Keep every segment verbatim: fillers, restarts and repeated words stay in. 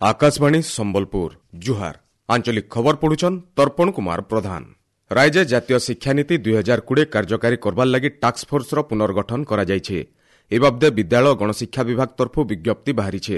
ଆକାଶବାଣୀ ସମ୍ବଲପୁର ଜୁହାର ଆଞ୍ଚଳିକ ଖବର ପଢୁଛନ୍ ତର୍ପଣ କୁମାର ପ୍ରଧାନ ରାଜ୍ୟ ଜାତୀୟ ଶିକ୍ଷାନୀତି ଦୁଇ ହଜାର କୋଡ଼ିଏ କାର୍ଯ୍ୟକାରୀ କରବାର୍ ଲାଗି ଟାସ୍କ ଫୋର୍ସର ପୁନର୍ଗଠନ କରାଯାଇଛି ଏ ବାବଦେ ବିଦ୍ୟାଳୟ ଗଣଶିକ୍ଷା ବିଭାଗ ତରଫରୁ ବିଜ୍ଞପ୍ତି ବାହାରିছে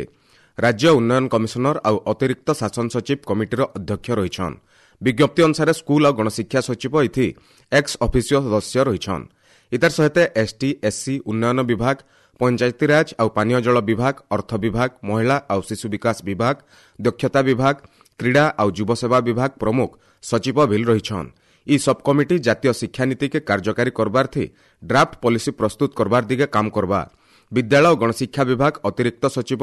ରାଜ୍ୟ ଉନ୍ନୟନ କମିଶନର ଆଉ ଅତିରିକ୍ତ ଶାସନ ସଚିବ କମିଟିର ଅଧ୍ୟକ୍ଷ ରହିଛନ୍ ବିଜ୍ଞପ୍ତି ଅନୁସାରେ ସ୍କୁଲ ଆଉ ଗଣଶିକ୍ଷା ସଚିବ ଏଥି ଏକ୍ସ ଅଫିସିଓ ସଦସ୍ୟ ରହିଛନ୍ ଇତାର ସହିତ ଏସ୍ଟି ଏସ୍ସି ଉନ୍ନୟନ ବିଭାଗ ପଞ୍ଚାୟତିରାଜ ଆଉ ପାନୀୟ ଜଳ ବିଭାଗ ଅର୍ଥ ବିଭାଗ ମହିଳା ଆଉ ଶିଶୁ ବିକାଶ ବିଭାଗ ଦକ୍ଷତା ବିଭାଗ କ୍ରୀଡ଼ା ଆଉ ଯୁବସେବା ବିଭାଗ ପ୍ରମୁଖ ସଚିବ ଭିଲ୍ ରହିଛନ୍ ଇ ସବ୍ କମିଟି ଜାତୀୟ ଶିକ୍ଷାନୀତିକେ କାର୍ଯ୍ୟକାରୀ କରବାର୍ଥି ଡ୍ରାଫ୍ଟ ପଲିସି ପ୍ରସ୍ତୁତ କରବାର ଦିଗେ କାମ କରବା ବିଦ୍ୟାଳୟ ଓ ଗଣଶିକ୍ଷା ବିଭାଗ ଅତିରିକ୍ତ ସଚିବ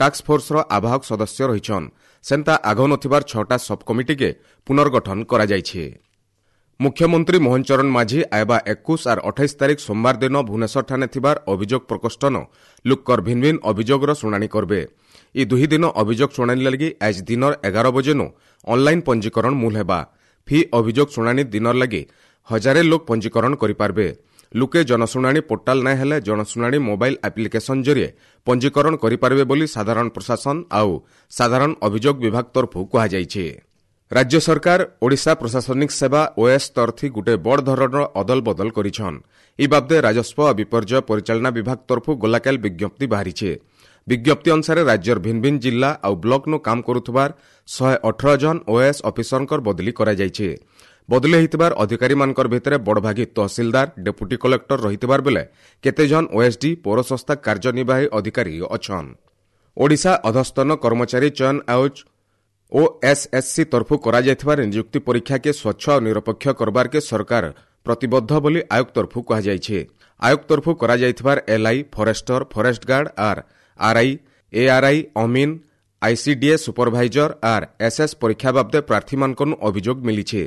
ଟାସ୍କ ଫୋର୍ସର ଆବାହକ ସଦସ୍ୟ ରହିଛନ୍ ସେନ୍ତା ଆଗ ନଥିବାର ଛଅଟା ସବ୍ କମିଟିକେ ପୁନର୍ଗଠନ କରାଯାଇଛି ମୁଖ୍ୟମନ୍ତ୍ରୀ ମୋହନ ଚରଣ ମାଝୀ ଆଇବା ଏକୋଇଶ ଆର୍ ଅଠାଇଶ ତାରିଖ ସୋମବାର ଦିନ ଭୁବନେଶ୍ୱରଠାନେ ଥିବାର ଅଭିଯୋଗ ପ୍ରକୋଷ୍ଠନ ଲୁକ୍କର ଭିନ୍ ଭିନ୍ ଅଭିଯୋଗର ଶୁଣାଣି କରବେ ଇ ଦୁହି ଦିନ ଅଭିଯୋଗ ଶୁଣାଣି ଲାଗି ଆଜ ଦିନର ଏଗାର ବଜେନୁ ଅନ୍ଲାଇନ୍ ପଞ୍ଜୀକରଣ ମୂଲ ହେବା ଫି ଅଭିଯୋଗ ଶୁଣାଣି ଦିନର ଲାଗି ହଜାରେ ଲୋକ ପଞ୍ଜୀକରଣ କରିପାରବେ ଲୁକେ ଜନଶୁଣାଣି ପୋର୍ଟାଲ ନାଇଁ ହେଲେ ଜନଶୁଣାଣି ମୋବାଇଲ ଆପ୍ଲିକେସନ ଜରିଏ ପଞ୍ଜୀକରଣ କରିପାରିବେ ବୋଲି ସାଧାରଣ ପ୍ରଶାସନ ଆଉ ସାଧାରଣ ଅଭିଯୋଗ ବିଭାଗ ତରଫରୁ କୁହାଯାଇଛି ରାଜ୍ୟ ସରକାର ଓଡ଼ିଶା ପ୍ରଶାସନିକ ସେବା ଓଏସ୍ ତରଫି ଗୋଟିଏ ବଡ଼ ଧରଣର ଅଦଲ ବଦଲ କରିଛନ୍ ଇ ବାବଦେ ରାଜସ୍ୱ ଓ ବିପର୍ଯ୍ୟୟ ପରିଚାଳନା ବିଭାଗ ତରଫରୁ ଗଲାକାଲି ବିଜ୍ଞପ୍ତି ବାହାରିছে ବିଜ୍ଞପ୍ତି ଅନୁସାରେ ରାଜ୍ୟର ଭିନ୍ ଭିନ୍ ଜିଲ୍ଲା ଆଉ ବ୍ଲକ୍ନୁ କାମ କରୁଥିବାର ଶହେ ଅଠର ଜଣ ଓଏଏସ୍ ଅଫିସରଙ୍କର ବଦଳି କରାଯାଇଛି ବଦଳି ହୋଇଥିବାର ଅଧିକାରୀମାନଙ୍କର ଭିତରେ ବଡ଼ଭାଗୀ ତହସିଲଦାର ଡେପୁଟି କଲେକ୍ଟର ରହିଥିବାର ବେଲେ କେତେଜଣ ଓଏସ୍ଡି ପୌରସଂସ୍ଥା କାର୍ଯ୍ୟନିର୍ବାହୀ ଅଧିକାରୀ ଅଛନ୍ ଓଡ଼ିଶା ଅଧସ୍ତନ କର୍ମଚାରୀ ଚୟନ ଆୟୋଗ ଓଏସ୍ଏସ୍ସି ତରଫରୁ କରାଯାଇଥିବାର ନିଯୁକ୍ତି ପରୀକ୍ଷାକେ ସ୍ୱଚ୍ଛ ଓ ନିରପେକ୍ଷ କରବାର୍କେ ସରକାର ପ୍ରତିବଦ୍ଧ ବୋଲି ଆୟୋଗ ତରଫରୁ କୁହାଯାଇଛି ଆୟୋଗ ତରଫରୁ କରାଯାଇଥିବାର ଏଲ୍ଆଇ ଫରେଷ୍ଟର ଫରେଷ୍ଟ ଗାର୍ଡ ଆର୍ ଆର୍ଆଇ ଏଆର୍ଆଇ ଅମିନ୍ ଆଇସିଡିଏ ସୁପରଭାଇଜର ଆର୍ ଏସ୍ଏସ୍ ପରୀକ୍ଷା ବାବଦେ ପ୍ରାର୍ଥୀମାନଙ୍କନୁ ଅଭିଯୋଗ ମିଳିଛି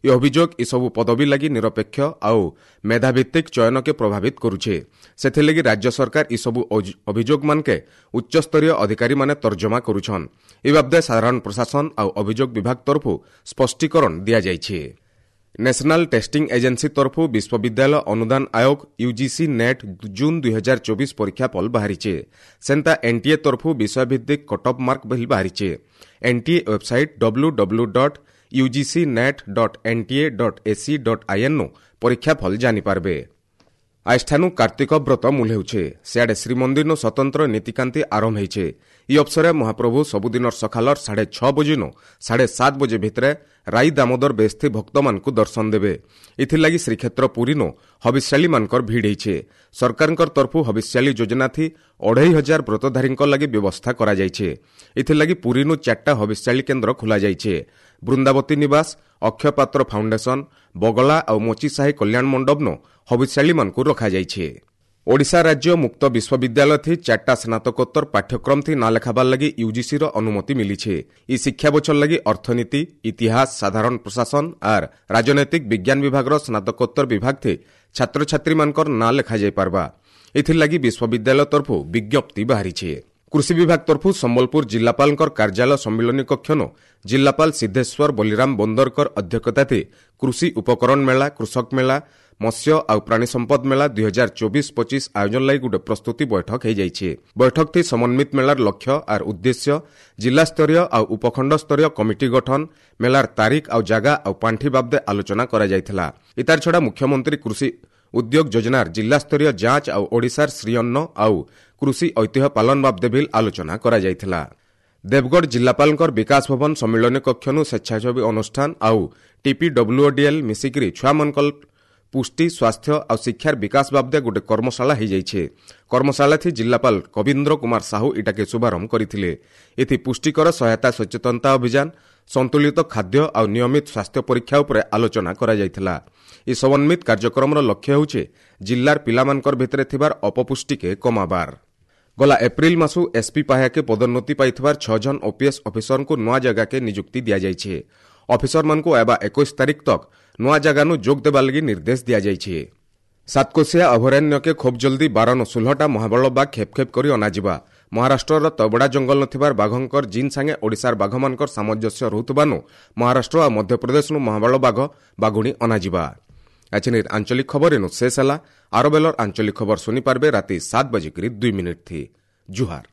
ଏ ଅଭିଯୋଗ ଏସବୁ ପଦବୀ ଲାଗି ନିରପେକ୍ଷ ଆଉ ମେଧାଭିତ୍ତିକ ଚୟନକେ ପ୍ରଭାବିତ କରୁଛେ ସେଥିଲାଗି ରାଜ୍ୟ ସରକାର ଏସବୁ ଅଭିଯୋଗମାନକେ ଉଚ୍ଚସ୍ତରୀୟ ଅଧିକାରୀମାନେ ତର୍ଜମା କରୁଛନ୍ ଏ ବାବଦେ ସାଧାରଣ ପ୍ରଶାସନ ଆଉ ଅଭିଯୋଗ ବିଭାଗ ତରଫରୁ ସ୍ପଷ୍ଟୀକରଣ ଦିଆଯାଇଛି ନ୍ୟାସନାଲ ଟେଷ୍ଟିଂ ଏଜେନ୍ସି ତରଫରୁ ବିଶ୍ୱବିଦ୍ୟାଳୟ ଅନୁଦାନ ଆୟୋଗ ୟୁଜିସି ନେଟ୍ ଜୁନ୍ ଦୁଇ ହଜାର ଚବିଶ ପରୀକ୍ଷାଫଳ ବାହାରିছে ସେନ୍ତା ଏନ୍ଟିଏ ତରଫରୁ ବିଷୟଭିତ୍ତିକ କଟ୍ଅଫ୍ ମାର୍କ ବିଲ୍ ବାହାରିছে NTA website W W dot UGC NET dot NTA dot AC dot IN ପରୀକ୍ଷାଫଳ ଜାଣିପାରବେ ଆଜିଠାନୁ କାର୍ତ୍ତିକ ବ୍ରତ ମୂଲ ହେଉଛେ ସିଆଡ଼େ ଶ୍ରୀମନ୍ଦିରନୁ ସ୍ୱତନ୍ତ୍ର ନୀତିକାନ୍ତି ଆରମ୍ଭ ହେଇଛେ ଇ ଅବସରେ ମହାପ୍ରଭୁ ସବୁଦିନର ସକାଳର ସାଢ଼େ ଛଅ ବଜେନୁ ସାଢ଼େ ସାତ ବଜେ ଭିତରେ ରାଇ ଦାମୋଦର ବେସ୍ଥି ଭକ୍ତମାନଙ୍କୁ ଦର୍ଶନ ଦେବେ ଏଥିଲାଗି ଶ୍ରୀକ୍ଷେତ୍ର ପୁରୀନୁ ହବିଷ୍ୟାଳୀମାନଙ୍କର ଭିଡ଼ ହେଇଛେ ସରକାରଙ୍କର ତରଫରୁ ହବିଷ୍ୟାଳୀ ଯୋଜନାଥି ଅଢ଼େଇ ହଜାର ବ୍ରତଧାରୀଙ୍କ ଲାଗି ବ୍ୟବସ୍ଥା କରାଯାଇଛେ ଏଥିଲାଗି ପୁରୀନୁ ଚାରିଟା ହବିଷ୍ୟାଳୀ କେନ୍ଦ୍ର ଖୋଲାଯାଇଛେ ବୃନ୍ଦାବତୀ ନିବାସ ଅକ୍ଷୟପାତ୍ର ଫାଉଣ୍ଡେସନ ବଗଲା ଆଉ ମୋଚିସାହି କଲ୍ୟାଣ ମଣ୍ଡପନୁ ହବିଷ୍ୟାଳୀମାନଙ୍କୁ ରଖାଯାଇଛି ଓଡ଼ିଶା ରାଜ୍ୟ ମୁକ୍ତ ବିଶ୍ୱବିଦ୍ୟାଳୟ ଥି ଚାରିଟା ସ୍ନାତକୋତ୍ତର ପାଠ୍ୟକ୍ରମ ଥି ନାଁ ଲେଖାବାର ଲାଗି ୟୁଜିସିର ଅନୁମତି ମିଳିছে ଇ ଶିକ୍ଷା ବଛର ଲାଗି ଅର୍ଥନୀତି ଇତିହାସ ସାଧାରଣ ପ୍ରଶାସନ ଆର୍ ରାଜନୈତିକ ବିଜ୍ଞାନ ବିଭାଗର ସ୍ନାତକୋତ୍ତର ବିଭାଗ ଥି ଛାତ୍ରଛାତ୍ରୀମାନଙ୍କର ନାଁ ଲେଖାଯାଇପାରବା ଏଥିଲାଗି ବିଶ୍ୱବିଦ୍ୟାଳୟ ତରଫରୁ ବିଜ୍ଞପ୍ତି ବାହାରିছে କୃଷି ବିଭାଗ ତରଫରୁ ସମ୍ବଲପୁର ଜିଲ୍ଲାପାଳଙ୍କର କାର୍ଯ୍ୟାଳୟ ସମ୍ମିଳନୀ କକ୍ଷନୁ ଜିଲ୍ଲାପାଳ ସିଦ୍ଧେଶ୍ୱର ବଲିରାମ ବୋନ୍ଦରକର ଅଧ୍ୟକ୍ଷତାଥି କୃଷି ଉପକରଣ ମେଳା କୃଷକ ମେଳା ମତ୍ସ୍ୟ ଆଉ ପ୍ରାଣୀ ସମ୍ପଦ ମେଳା ଦୁଇ ହଜାର ଚବିଶ ପଚିଶ ଆୟୋଜନ ଲାଗି ଗୋଟେ ପ୍ରସ୍ତୁତି ବୈଠକ ହୋଇଯାଇଛି ବୈଠକଥି ସମନ୍ୱିତ ମେଳାର ଲକ୍ଷ୍ୟ ଆର୍ ଉଦ୍ଦେଶ୍ୟ ଜିଲ୍ଲାସ୍ତରୀୟ ଆଉ ଉପଖଣ୍ଡ ସ୍ତରୀୟ କମିଟି ଗଠନ ମେଳାର ତାରିଖ ଆଉ ଜାଗା ଆଉ ପାଣ୍ଠି ବାବଦେ ଆଲୋଚନା କରାଯାଇଥିଲା ଇତାର ଛଡ଼ା ମୁଖ୍ୟମନ୍ତ୍ରୀ କୃଷି ଉଦ୍ୟୋଗ ଯୋଜନାର ଜିଲ୍ଲାସ୍ତରୀୟ ଯାଞ୍ଚ ଆଉ ଓଡ଼ିଶାର ଶ୍ରୀଅନ୍ନ ଆଉ କୃଷି ଐତିହ୍ୟ ପାଳନ ବାବଦେ ବିଲ୍ ଆଲୋଚନା କରାଯାଇଥିଲା ଦେବଗଡ଼ ଜିଲ୍ଲାପାଳଙ୍କର ବିକାଶ ଭବନ ସମ୍ମିଳନୀ କକ୍ଷନୁ ସ୍ୱେଚ୍ଛାସେବୀ ଅନୁଷ୍ଠାନ ଆଉ ଟିପିଡବ୍ଲ୍ୟୁଓଡିଏଲ୍ ମିଶିକିରି ଛୁଆମାନଙ୍କର ପୁଷ୍ଟି ସ୍ୱାସ୍ଥ୍ୟ ଆଉ ଶିକ୍ଷାର ବିକାଶ ବାବଦେ ଗୋଟେ କର୍ମଶାଳା ହୋଇଯାଇଛି କର୍ମଶାଳାଥି ଜିଲ୍ଲାପାଳ କବୀନ୍ଦ୍ର କୁମାର ସାହୁ ଇଟାକେ ଶୁଭାରମ୍ଭ କରିଥିଲେ ଏଥି ପୁଷ୍ଟିକର ସହାୟତା ସଚେତନତା ଅଭିଯାନ ସନ୍ତୁଳିତ ଖାଦ୍ୟ ଆଉ ନିୟମିତ ସ୍ୱାସ୍ଥ୍ୟ ପରୀକ୍ଷା ଉପରେ ଆଲୋଚନା କରାଯାଇଥିଲା ଏହି ସମନ୍ୱିତ କାର୍ଯ୍ୟକ୍ରମର ଲକ୍ଷ୍ୟ ହେଉଛି ଜିଲ୍ଲାର ପିଲାମାନଙ୍କର ଭିତରେ ଥିବାର ଅପପୁଷ୍ଟିକେ କମାବାର ଗଲା ଏପ୍ରିଲ ମାସୁ ଏସ୍ପି ପାହ୍ୟାକେ ପଦୋନ୍ନତି ପାଇଥିବାର ଛଅ ଜଣ ଓପିଏସ୍ ଅଫିସରଙ୍କୁ ନୂଆ ଜାଗାକେ ନିଯୁକ୍ତି ଦିଆଯାଇଛି ଅଫିସରମାନଙ୍କୁ ଏବା ଏକୋଇଶ ତାରିଖ ତକ୍ ନୂଆ ଜାଗାନୁ ଯୋଗ ଦେବା ଲାଗି ନିର୍ଦ୍ଦେଶ ଦିଆଯାଇଛି ସାତକୋଶିଆ ଅଭୟାରଣ୍ୟକେ ଖୁବ୍ ଜଲ୍ଦି ବାରନୁ ଷୋହଳଟା ମହାବଳ ବାଘ ଖେପ୍ ଖେପ୍ କରି ଅନାଯିବା ମହାରାଷ୍ଟ୍ରର ତବଡ଼ା ଜଙ୍ଗଲ ନଥିବାର ବାଘଙ୍କର ଜିନ୍ ସାଙ୍ଗେ ଓଡ଼ିଶାର ବାଘମାନଙ୍କର ସାମଞ୍ଜସ୍ୟ ରହୁଥିବାନୁ ମହାରାଷ୍ଟ୍ର ଆଉ ମଧ୍ୟପ୍ରଦେଶନୁ ମହାବଳ ବାଘ ବାଘୁଣୀ ଅନାଯିବା ଆଜିନିର ଆଞ୍ଚଳିକ ଖବର ଏନୁ ଶେଷ ହେଲା ଆର ବେଲର ଆଞ୍ଚଳିକ ଖବର ଶୁଣିପାରିବେ ରାତି ସାତ ବାଜିକରି ଦୁଇ ମିନିଟ୍ ଥି ଜୁହାର